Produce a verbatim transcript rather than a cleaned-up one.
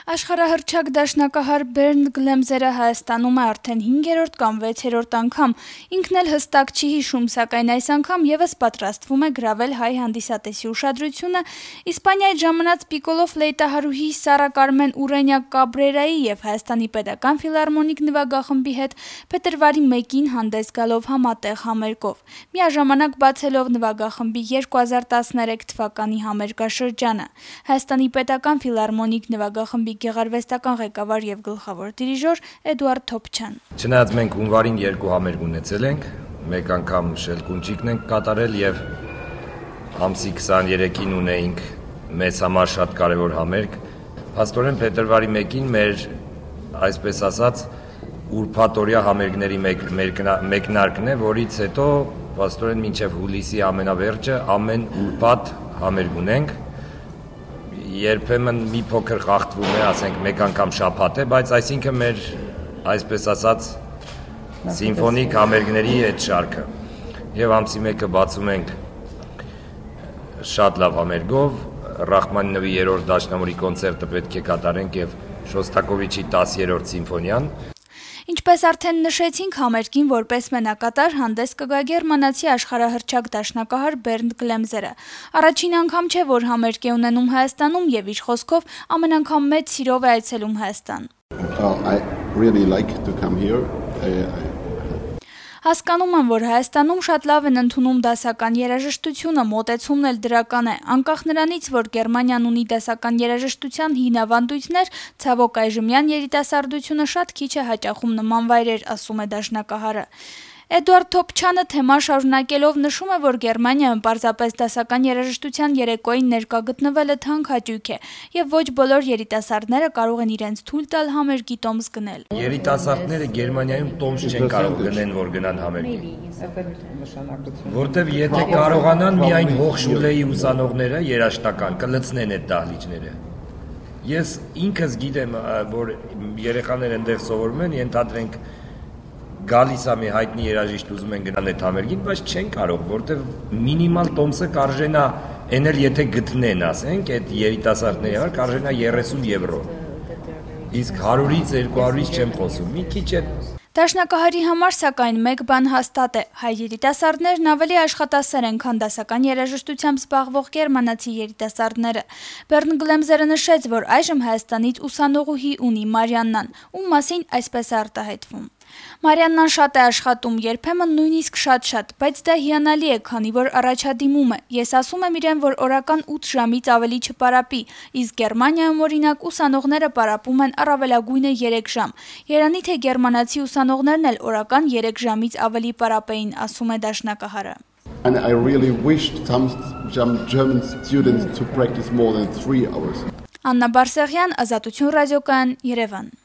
Աշխարհահռչակ դաշնակահար Բերնդ Գլեմզերը Հայաստանում է արդեն հինգերորդ կամ վեցերորդ անգամ, ինքն էլ հստակ չի հիշում, սակայն այս անգամ եւս պատրաստվում է գրավել հայ հանդիսատեսի ուշադրությունը Իսպանիայից ժամանած Պիկոլո ֆլեյտահարուհի Սարա Կարմեն Ուրենյա Կաբրերայի եւ Հայաստանի պետական ֆիլհարմոնիկ նվագախմբի հետ փետրվարի մեկին հանդես գալով համատեղ համերգով, միաժամանակ բացելով նվագախմբի երկու հազար տասներեք թվականի համերգաշրջանը։ Հայաստանի պետական ֆիլհարմոնիկ նվագախմբի գեղարվեստական ղեկավար եւ գլխավոր դիրիժոր Էդուարդ Թոփչյան։ Չնայած մենք հունվարին երկու համերգ ունեցել ենք, մեկ անգամ շելկունջիկն ենք կատարել եւ ամսի քսաներեքին ունեինք մեզ համար շատ կարեւոր համերգ, փաստորեն փետրվարի մեկին մեր, այսպես ասած, ուրբաթօրյա համերգների մեկնարկն է, որից հետո փաստորեն մինչեւ հուլիսի ամենավերջը ամեն ուրբաթ համերգ ունենք։ Երբեմն մի փոքր խախտվում է, ասենք մեկ անգամ շաբաթ է, բայց այսինքն մեր, այսպես ասած, սիմֆոնիկ համերգների այդ շարքը։ Եվ ամսի մեկը բացում ենք շատ լավ համերգով, Ռախմանինովի երրորդ դաշնամուրի կոնցերտը պետք է կատարենք եւ Շոստակովիչի տասերորդ սիմֆոնիան։ Ինչպես արդեն նշեցինք, համերգին որպես մենակատար հանդես կգա գերմանացի աշխարհահռչակ դաշնակահար Բերնդ Գլեմզերը։ Առաջին անգամ չէ, որ համերգ է ունենում Հայաստանում եւ իր խոսքով ամեն անգամ մեծ սիրով է այցելում Հայաստան։ Հասկանում եմ, որ Հայաստանում շատ լավ են ընդունում դասական երաժշտությունը, մոտեցումն էլ դրական է, անկախ նրանից, որ Գերմանիան ունի դասական երաժշտության հին ավանդույթներ, ցավոք այժմյան երիտասարդությունը շատ քիչ է հաճախում նման վայրեր, ասում է դաշնակահարը։ Էդուարդ Թոփչյանը թեման շարունակելով նշում է, որ Գերմանիայում պարզապես դասական երաժշտության երեկոյին ներկա գտնվելը թանկ հաճույք է, եւ ոչ բոլոր երիտասարդները կարող են իրենց թույլ տալ համերգի տոմս գնել։ Երիտասարդները Գերմանիայում տոմս չեն կարող գնեն, որ գնան համերգի։ Որտեւ եթե կարողանան միայն Հոխշուլեի ուսանողները երաժշտական կլցնեն այդ դահլիճները։ Ես ինքս գիտեմ, որ երեխաները այնտեղ սովորում են, ենթադրենք գալիս է մի հայտնի երաժիշտ ուզում են գնալ այդ համերգին, բայց չեն կարող, որտեվ մինիմալ տոմսը կարժենա, այն էլ եթե գտնեն, ասենք, այդ երիտասարդների համար կարժենա երեսուն եվրո։ Իսկ հարյուրից երկու հարյուրից չեմ խոսում, մի քիչ է։ Դաշնակահարի համար սակայն մեկ բան հաստատ է, հայ երիտասարդներն ավելի աշխատասեր են, քան դասական երաժշտությամբ զբաղվող գերմանացի երիտասարդները։ Բերնդ Գլեմզերը նշեց, որ այժմ Հայաստանից ուսանողուհի ունի Մարիաննան, ում մասին այսպես է արտահայտվում. Մարիաննան շատ է աշխատում, երբեմն նույնիսկ շատ-շատ, բայց դա հիանալի է, քանի որ առաջադիմում է։ Ես ասում եմ իրեն, որ օրական ութ ժամից ավելի չպարապի, իսկ Գերմանիայում օրինակ ուսանողները պարապում են առավելագույնը երեք ժամ։ Երանի թե գերմանացի ուսանողներն էլ օրական երեք ժամից ավելի պարապեին, ասում է դաշնակահարը։ And I really wished some German students to practice more than three hours. Աննա Բարսեղյան, Ազատություն ռադիոկայան, Երևան։